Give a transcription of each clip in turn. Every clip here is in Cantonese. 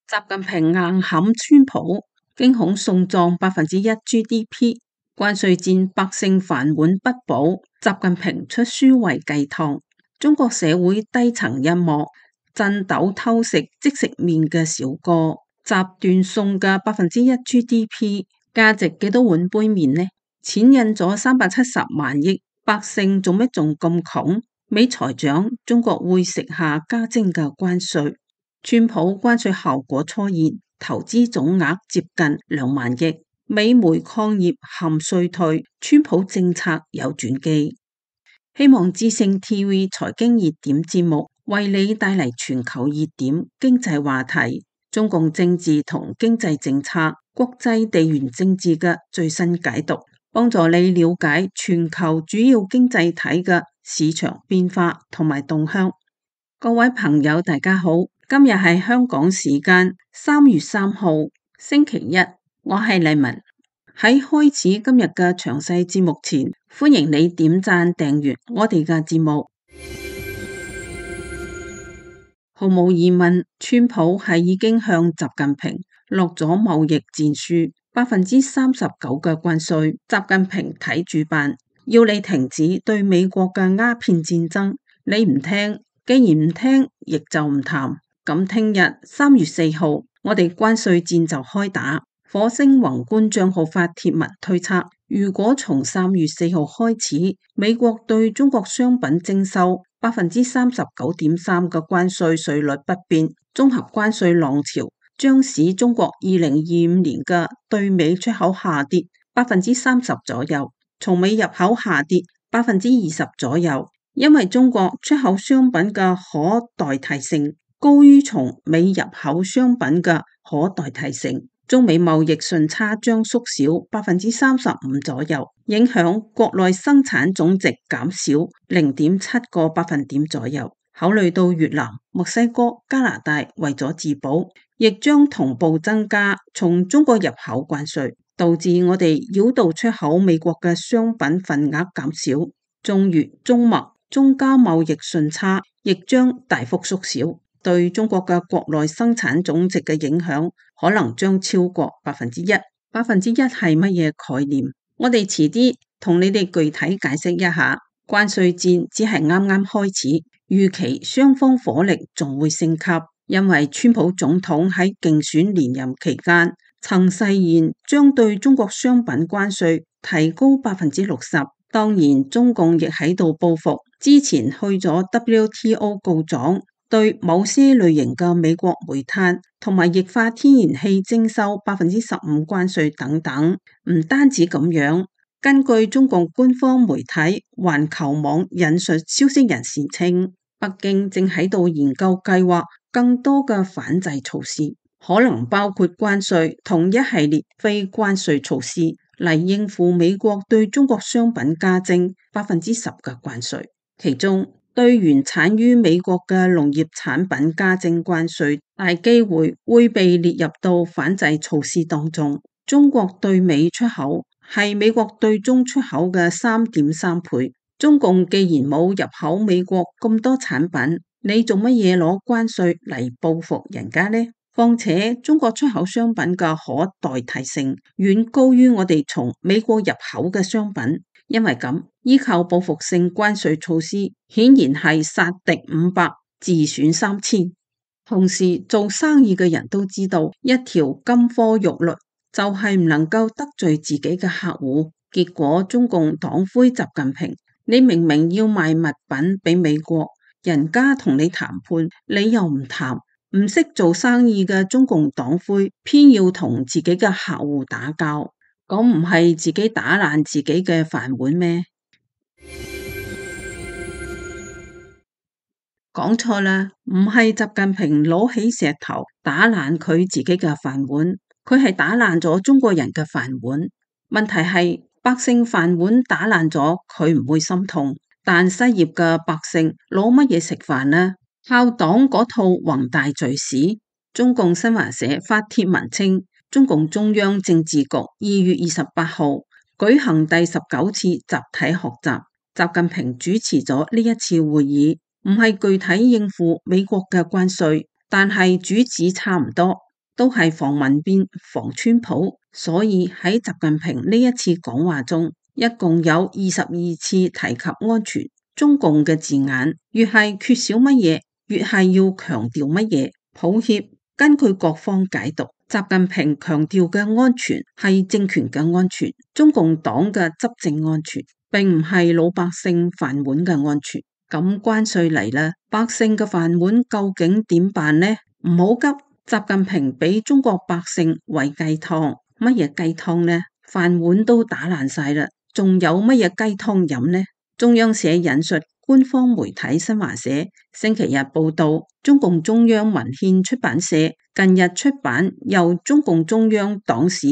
習近平硬撼川普，驚恐送葬1%GDP， 關稅戰百姓飯碗不保，習近平出書為雞湯。中國社會低層一幕，震斗偷食即食麵嘅小哥，集斷送嘅1%GDP， 價值幾多碗杯麵呢？錢印咗370萬億，百姓做咩仲咁窮？美財長，中國會食下加徵嘅關稅。川普關稅效果初現，投資總額接近2萬億。美煤礦業陷衰退，川普政策有轉機。希望之聲 TV 財經熱點節目為你帶嚟全球熱點經濟話題、中共政治同經濟政策、國際地緣政治嘅最新解讀，幫助你了解全球主要經濟體嘅市場變化同埋動向。各位朋友，大家好。今日係香港時間3月3號星期一，我係麗文。喺開始今日嘅詳細節目前，歡迎你點讚訂閱我哋嘅節目。毫無疑問，川普係已經向習近平落咗貿易戰書，39%嘅關稅，習近平睇住辦，要你停止對美國嘅鴉片戰爭，你唔聽，既然唔聽，亦就唔談。咁聽日3月4號，我哋關稅戰就開打。火星宏觀賬號發帖文推測，如果從3月4號開始，美國對中國商品徵收39.3%嘅關稅稅率不變，綜合關稅浪潮將使中國2025年嘅對美出口下跌30%左右，從美入口下跌20%左右，因為中國出口商品嘅可代替性高於從美入口商品嘅可代替性，中美貿易順差將縮小35%左右，影響國內生產總值減少0.7個百分點左右。考慮到越南、墨西哥、加拿大為咗自保，亦將同步增加從中國入口關稅，導致我哋繞道出口美國嘅商品份額減少，中越、中墨、中加貿易順差亦將大幅縮小。對中國嘅國內生產總值嘅影響可能將超過1%。1%係乜嘢概念？我哋遲啲同你哋具體解釋一下。關稅戰只係啱啱開始，預期雙方火力仲會升級，因為川普總統喺競選連任期間曾誓言將對中國商品關稅提高60%。當然，中共亦喺度報復，之前去咗 WTO 告狀，對某些類型嘅美國煤炭同埋液化天然氣徵收15%關稅等等。唔單止咁樣，根據中共官方媒體環球網引述消息人士稱，北京正喺度研究計劃更多嘅反制措施，可能包括關稅同一系列非關稅措施嚟應付美國對中國商品加徵10%嘅關稅，其中對原產於美國嘅農業產品加徵關稅，大機會會被列入到反制措施當中。中國對美出口係美國對中出口嘅3.3倍。中共既然冇入口美國咁多產品，你做乜嘢攞關稅嚟報復人家呢？況且中國出口商品嘅可代替性遠高於我哋從美國入口嘅商品。因為咁，依靠報復性關稅措施，顯然係殺敵500，自損3000。同時，做生意嘅人都知道，一條金科玉律就係唔能夠得罪自己嘅客戶。結果，中共黨魁習近平，你明明要賣物品俾美國，人家同你談判，你又唔談，唔識做生意嘅中共黨魁，偏要同自己嘅客戶打交。咁唔係自己打爛自己嘅飯碗咩？講錯啦，唔係習近平攞起石頭打爛佢自己嘅飯碗，佢係打爛咗中國人嘅飯碗。問題係百姓飯碗打爛咗，佢唔會心痛，但失業嘅百姓攞乜嘢食飯呢？靠黨嗰套宏大敘事。中共新華社發帖文稱，中共中央政治局2月28號舉行第19次集體學習，習近平主持咗呢一次會議，唔係具體應付美國嘅關稅，但係主旨差唔多，都係防民變、防川普，所以喺習近平呢一次講話中，一共有22次提及安全。中共嘅字眼越係缺少乜嘢，越係要強調乜嘢。抱歉，根據各方解讀，習近平強調嘅安全係政權嘅安全，中共黨嘅執政安全，並唔係老百姓飯碗嘅安全。咁關稅嚟啦，百姓嘅飯碗究竟點辦呢？唔好急，習近平俾中國百姓餵雞湯，乜嘢雞湯呢？飯碗都打爛晒啦，仲有乜嘢雞湯飲呢？中央社引述官方媒體新華社星期日報道，中共中央文獻出版社近日出版由中共中央黨史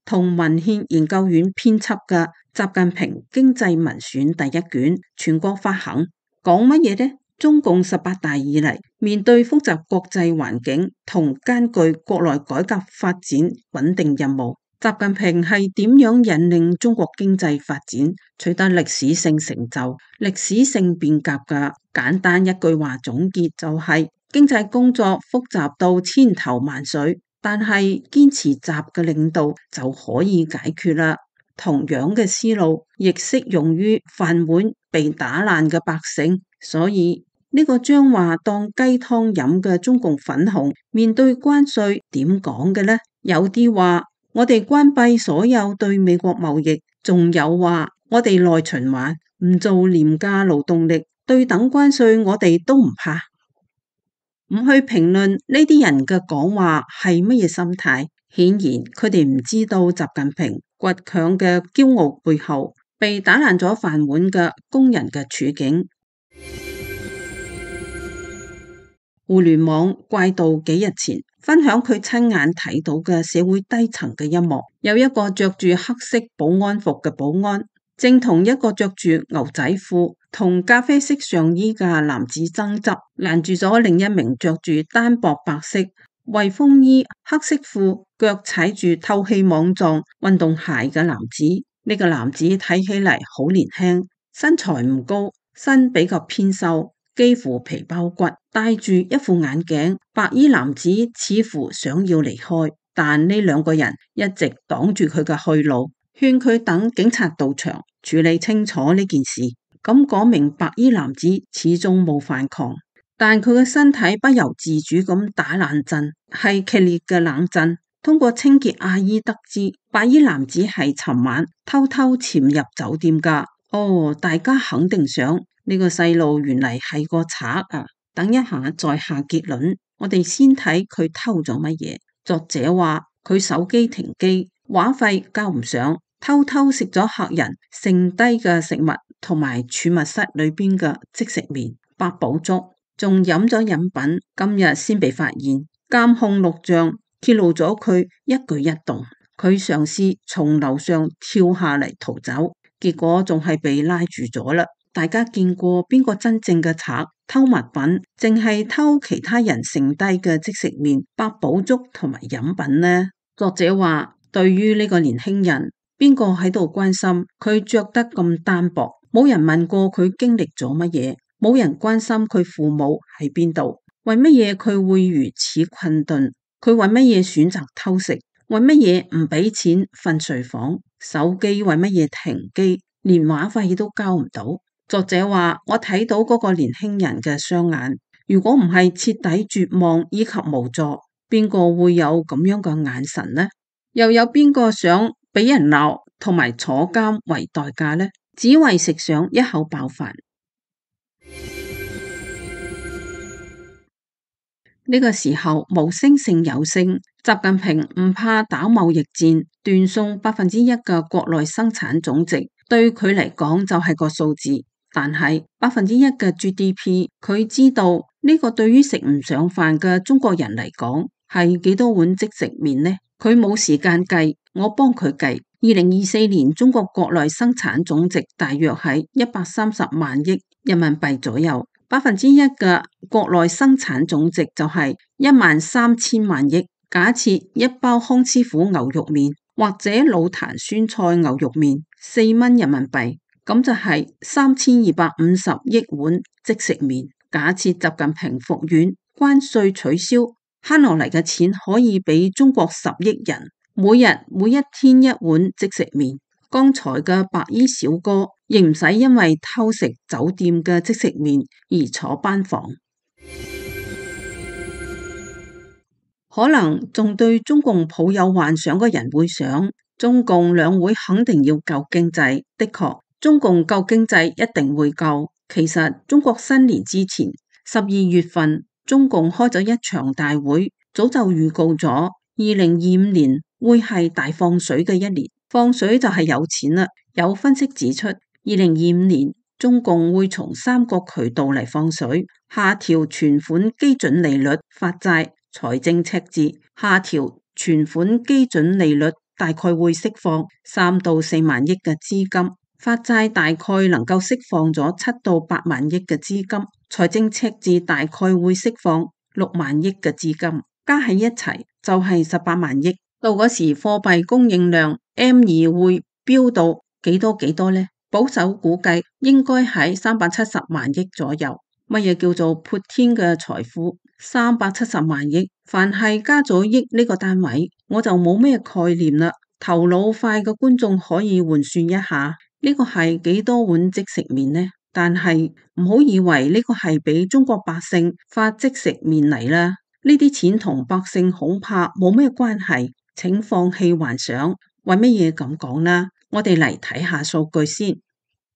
同文獻研究院編輯嘅《習近平經濟文選》第一卷，全國發行。講乜嘢呢？中共18大以嚟，面對複雜國際環境同艱巨國內改革發展穩定任務，習近平係點樣引領中國經濟發展取得歷史性成就、歷史性變革嘅？簡單一句話總結就係：經濟工作複雜到千頭萬緒，但係堅持習嘅領導就可以解決啦。同樣嘅思路亦適用於飯碗被打爛嘅百姓，所以呢個將話當雞湯飲嘅中共粉紅面對關稅點講嘅呢？有啲話我哋關閉所有對美國貿易，仲有話我哋內循環，唔做廉價勞動力，對等關稅我哋都唔怕。唔去評論呢啲人嘅講話係乜嘢心態，顯然佢哋唔知道習近平倔強嘅驕傲背後，被打爛咗飯碗嘅工人嘅處境。互聯網怪盜幾日前分享佢親眼睇到嘅社會低層嘅一幕，有一個着住黑色保安服嘅保安，正同一個着住牛仔褲同咖啡色上衣嘅男子爭執，攔住咗另一名着住單薄白色衛風衣、黑色褲、腳踩住透氣網狀運動鞋嘅男子。呢個男子睇起嚟好年輕，身材唔高，身比較偏瘦，幾乎皮包骨，戴住一副眼鏡。白衣男子似乎想要離開，但呢兩個人一直擋住佢嘅去路，勸佢等警察到場處理清楚呢件事。咁嗰名白衣男子始終冇反抗，但佢嘅身體不由自主咁打冷震，係劇烈嘅冷震。通過清潔阿姨得知，白衣男子係尋晚偷偷潛入酒店噶。哦，大家肯定想呢個細路原嚟係個賊啊！等一下再下結論，我哋先睇佢偷咗乜嘢。作者話佢手機停機，話費交唔上，偷偷食咗客人剩低嘅食物同埋儲物室裏邊嘅即食麵、八寶粥，仲飲咗飲品。今日先被發現，監控錄像揭露咗佢一舉一動。佢嘗試從樓上跳下嚟逃走，結果仲係被拉住咗啦。大家見過邊個真正嘅賊偷物品，淨係偷其他人剩低嘅即食麵、八寶粥同埋飲品呢？作者話，對於呢個年輕人，邊個喺度關心佢着得咁單薄？冇人問過佢經歷咗乜嘢，冇人關心佢父母喺邊度，為乜嘢佢會如此困頓？佢為乜嘢選擇偷食？為乜嘢唔俾錢瞓睡房？手機為乜嘢停機？連話費都交唔到？作者話，我睇到嗰個年輕人嘅雙眼，如果唔係徹底絕望以及無助，邊個會有咁樣嘅眼神呢？又有邊個想俾人鬧同埋坐監為代價呢？只為食上一口飽飯。呢個時候無聲勝有聲，習近平唔怕打貿易戰，斷送1%嘅國內生產總值，對佢嚟講就係個數字。但係1%嘅 GDP， 佢知道呢個對於食唔上飯嘅中國人嚟講係幾多碗即食麵呢？佢冇時間計，我幫佢計。2024年中國國內生產總值大約係130萬億人民幣左右。1%嘅國內生產總值就係13000萬億。假設一包康師傅牛肉麵或者老壇酸菜牛肉麵4蚊人民幣，咁就係3250億碗即食麵。假設習近平復員，關稅取消，慳落嚟嘅錢可以俾中國10億人每一天一碗即食麵。剛才嘅白衣小哥亦唔使因為偷食酒店嘅即食麵而坐班房。可能仲對中共抱有幻想嘅人會想，中共兩會肯定要救經濟。的確，中共救經濟一定會救。其實中國新年之前12月份，中共開咗一場大會，早就預告咗2025年會係大放水嘅一年。放水就係有錢啦。有分析指出，2025年中共會從3個渠道嚟放水：下調存款基準利率、發債、財政赤字。下調存款基準利率大概會釋放3到4萬億嘅資金，發債大概能夠釋放咗7到8萬億嘅資金，財政赤字大概會釋放6萬億嘅資金，加喺一齊就係18萬億。到嗰時貨幣供應量 M2 會飆到幾多呢？保守估計應該喺370萬億左右。乜嘢叫做潑天嘅財富？370萬億，凡係加咗億呢個單位，我就冇咩概念啦。頭腦快嘅觀眾可以換算一下，呢個係幾多碗即食麵呢？但係唔好以為呢個係俾中國百姓發即食麵嚟啦，呢啲錢同百姓恐怕冇咩關係。請放棄幻想。為乜嘢咁講呢？我哋嚟睇下數據先。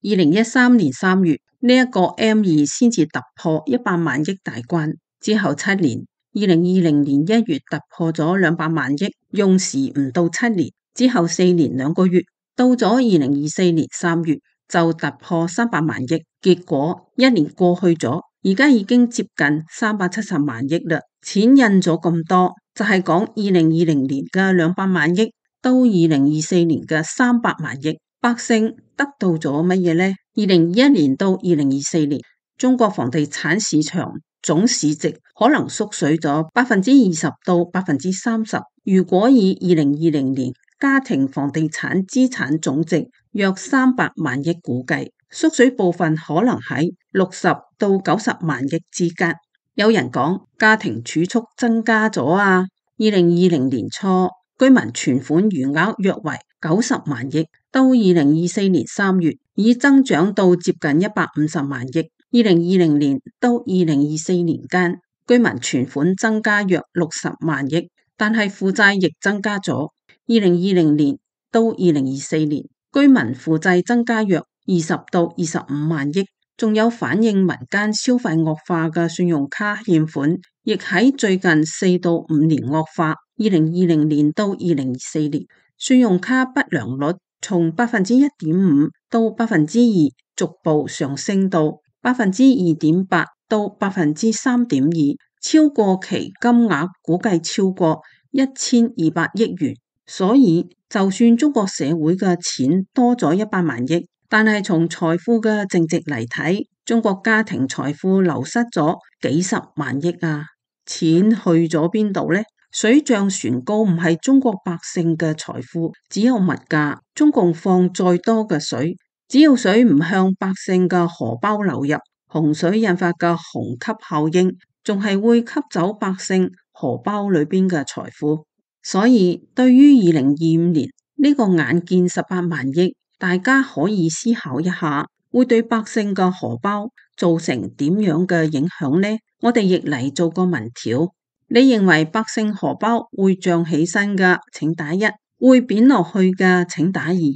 2013年3月呢一個 M2 先至突破100萬億大關，之後7年，2020年1月突破咗200萬億，用時唔到7年，之後4年2個月，到咗2024年3月就突破300萬億，結果1年過去咗，而家已經接近370萬億啦。錢印咗咁多，就係講2020年嘅200萬億到2024年嘅300萬億，百姓得到咗乜嘢呢？2021年到2024年，中國房地產市場總市值可能縮水咗20%到30%。如果以2020年家庭房地產資產總值約300萬億估計，縮水部分可能喺60到90萬億之間。有人講家庭儲蓄增加咗啊！2020年初居民存款餘額約為90萬億，到2024年3月已增長到接近150萬億。2020年到2024年間，居民存款增加約60萬億，但係負債亦增加咗。2020年到2024年，居民負債增加約20到25萬億。仲有反映民間消費惡化嘅信用卡欠款，亦喺最近4到5年惡化。2020年到2024年，信用卡不良率從1.5%到2%，逐步上升到2.8%到3.2%，超過期金額估計超過1200億元。所以就算中國社會嘅錢多咗100萬億，但係從財富嘅淨值嚟睇，中國家庭財富流失咗幾十萬億啊！錢去咗邊度呢？水漲船高唔係中國百姓嘅財富，只有物價。中共放再多嘅水，只要水唔向百姓嘅荷包流入，洪水引發嘅虹吸效應，仲係會吸走百姓荷包裏邊嘅財富。所以對於2025年呢個眼見18萬億，大家可以思考一下，會對百姓嘅荷包造成點樣嘅影響呢？我哋亦嚟做個民調，你認為百姓荷包會漲起身嘅，請打1；會貶落去嘅，請打2。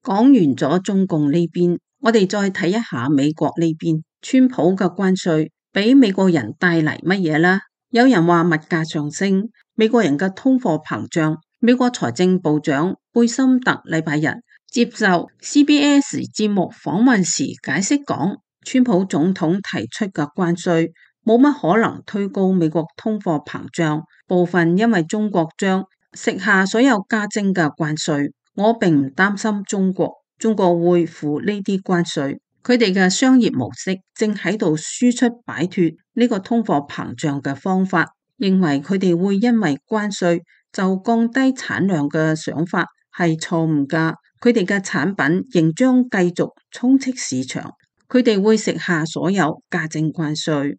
講完咗中共呢邊，我哋再睇一下美國呢邊，川普嘅關稅俾美國人帶嚟乜嘢啦？有人話物價上升，美國人嘅通貨膨脹。美國財政部長貝森特禮拜日接受 CBS 節目訪問時解釋講，川普總統提出嘅關稅冇乜可能推高美國通貨膨脹，部分因為中國將食下所有加徵嘅關稅。我並唔擔心中國會付呢啲關稅，佢哋嘅商業模式正喺度輸出擺脫呢個通貨膨脹嘅方法，認為佢哋會因為關稅就降低產量嘅想法係錯誤㗎，佢哋嘅產品仍將繼續充斥市場。佢哋會食下所有加徵關稅。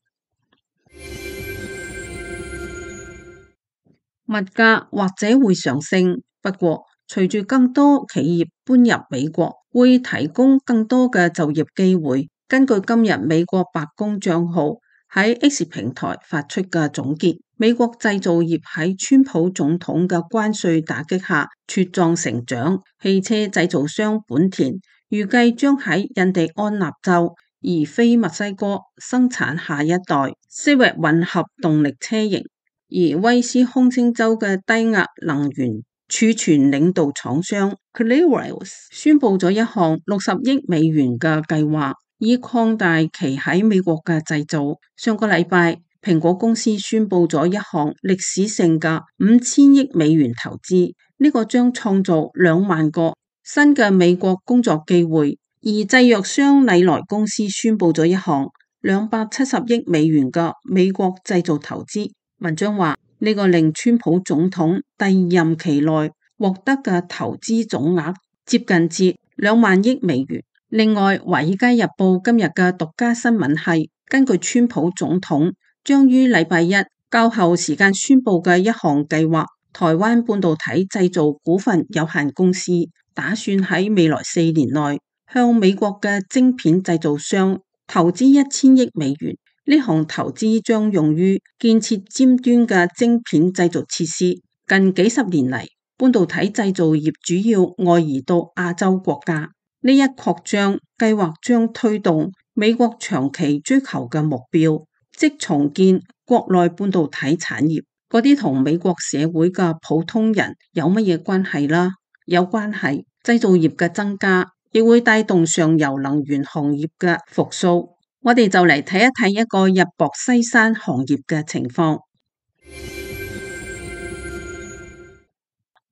物價或者會上升，不過隨住更多企業搬入美國，會提供更多嘅就業機會。根據今日美國白宮賬號喺 X 平台發出嘅總結，美國製造業喺川普總統嘅關稅打擊下茁壯成長。汽車製造商本田預計將喺印第安納州而非墨西哥生產下一代昔日混合動力車型。而威斯康星州嘅低壓能源儲存領導廠商 Clearwater 宣布咗一項60億美元嘅計劃，以擴大其喺美國嘅製造。上個禮拜，蘋果公司宣布咗一項歷史性嘅5000億美元投資，呢個將創造2萬個新嘅美國工作機會。而製藥商禮來公司宣布咗一項270億美元嘅美國製造投資。文章話呢個令川普總統第二任期內獲得嘅投資總額接近至2萬億美元。另外，華爾街日報今日嘅獨家新聞係根據川普總統將於禮拜一較後時間宣布嘅一項計劃，台灣半導體製造股份有限公司打算喺未來4年內向美國嘅晶片製造商投資1000億美元。呢項投資將用於建設尖端嘅晶片製造設施。近幾十年嚟，半導體製造業主要外移到亞洲國家。呢一擴張計劃將推動美國長期追求嘅目標，即重建國內半導體產業。嗰啲同美國社會嘅普通人有乜嘢關係啦？有關係。製造業嘅增加亦會帶動上游能源行業嘅復甦。我哋就嚟睇一睇一個日薄西山行業嘅情況。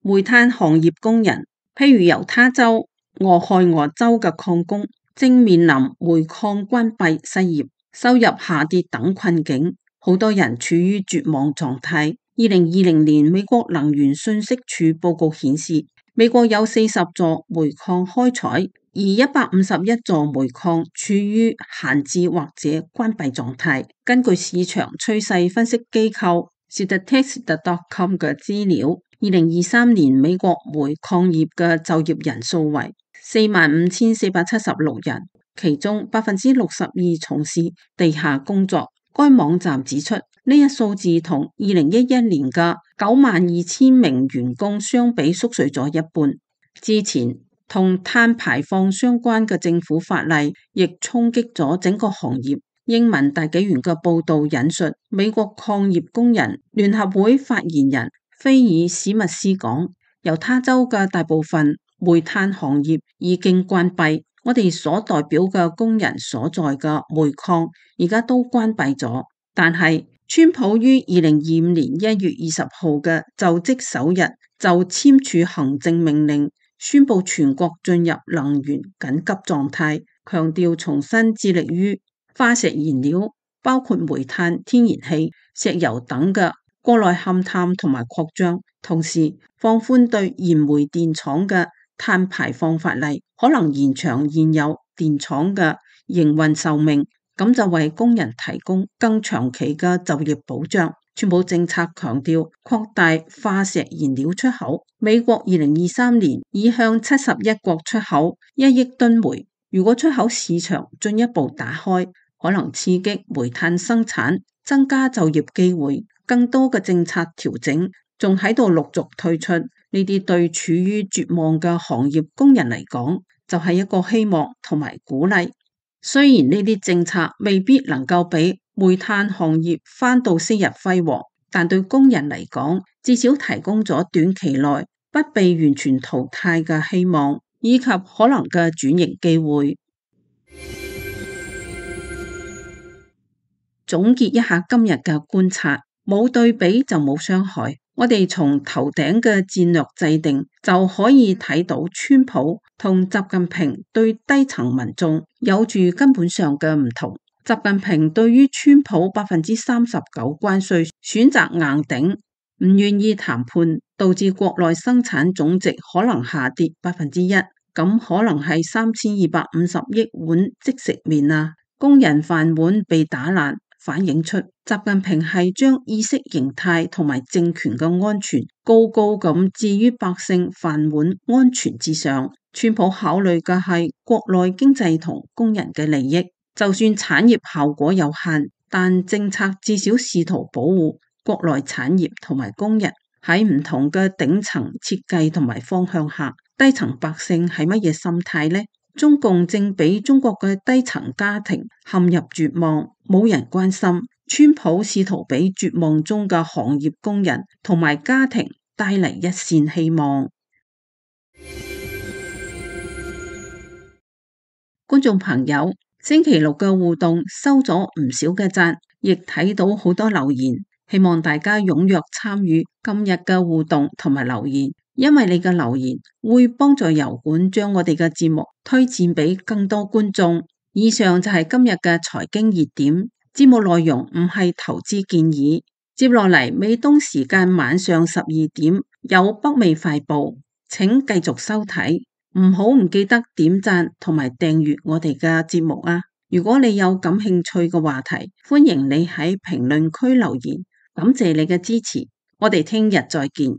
煤炭行業工人，譬如猶他州、俄亥俄州嘅礦工，正面臨煤礦關閉、失業、收入下跌等困境，好多人處於絕望狀態。2020年美國能源信息署報告顯示，美國有40座煤礦開採，而151座煤礦處於閒置或者關閉狀態。根據市場趨勢分析機構 Statista.com 嘅資料，2023年美國煤礦業嘅就業人數為45,476人，其中62%從事地下工作。該網站指出，呢一數字同2011年嘅92,000名員工相比縮水咗一半。之前同碳排放相關嘅政府法例亦衝擊咗整個行業。英文大紀元嘅報道引述美國礦業工人聯合會發言人菲爾史密斯講，猶他州嘅大部分煤炭行業已經關閉，我哋所代表嘅工人所在嘅煤礦而家都關閉咗。但係川普於2025年1月20號嘅就職首日就簽署行政命令，宣布全國進入能源緊急狀態，強調重新致力於化石燃料，包括煤炭、天然氣、石油等嘅國內勘探同埋擴張，同時放寬對燃煤電廠嘅碳排放法例，可能延長現有電廠嘅營運壽命，咁就為工人提供更長期嘅就業保障。川普政策強調擴大化石燃料出口，美國2023年已向71國出口1億噸煤。如果出口市場進一步打開，可能刺激煤炭生產，增加就業機會。更多嘅政策調整仲喺度陸續推出，呢啲對處於絕望嘅行業工人嚟講，就係一個希望同埋鼓勵。雖然呢啲政策未必能夠俾煤炭行業返到昔日輝煌，但對工人嚟講，至少提供咗短期內不被完全淘汰嘅希望，以及可能嘅轉型機會。總結一下今日嘅觀察，冇對比就冇傷害。我哋從頭頂嘅戰略制定就可以睇到，川普同習近平對低層民眾有住根本上嘅唔同。習近平對於川普39%關稅選擇硬頂，唔願意談判，導致國內生產總值可能下跌1%。咁可能係3250億碗即食麵啊，工人飯碗被打爛，反映出習近平係將意識形態同埋政權嘅安全高高咁置於百姓飯碗安全之上。川普考慮嘅係國內經濟同工人嘅利益，就算產業效果有限，但政策至少試圖保護國內產業同埋工人。喺唔同嘅頂層設計同埋方向下，低層百姓係乜嘢心態呢？中共正俾中國嘅低層家庭陷入絕望，冇人關心。川普試圖俾絕望中嘅行業工人同埋家庭帶嚟一線希望。觀眾朋友，星期六嘅互動收咗唔少嘅讚，亦睇到好多留言，希望大家踴躍參與今日嘅互動同埋留言，因為你嘅留言會幫助油管將我哋嘅節目推薦俾更多觀眾。以上就係今日嘅財經熱點，節目內容唔係投資建議。接落嚟美東時間晚上12點有北美快報，請繼續收睇。唔記得點讚同埋訂閱我哋嘅節目啊！如果你有感興趣嘅話題，歡迎你喺評論區留言。感謝你嘅支持，我哋聽日再見。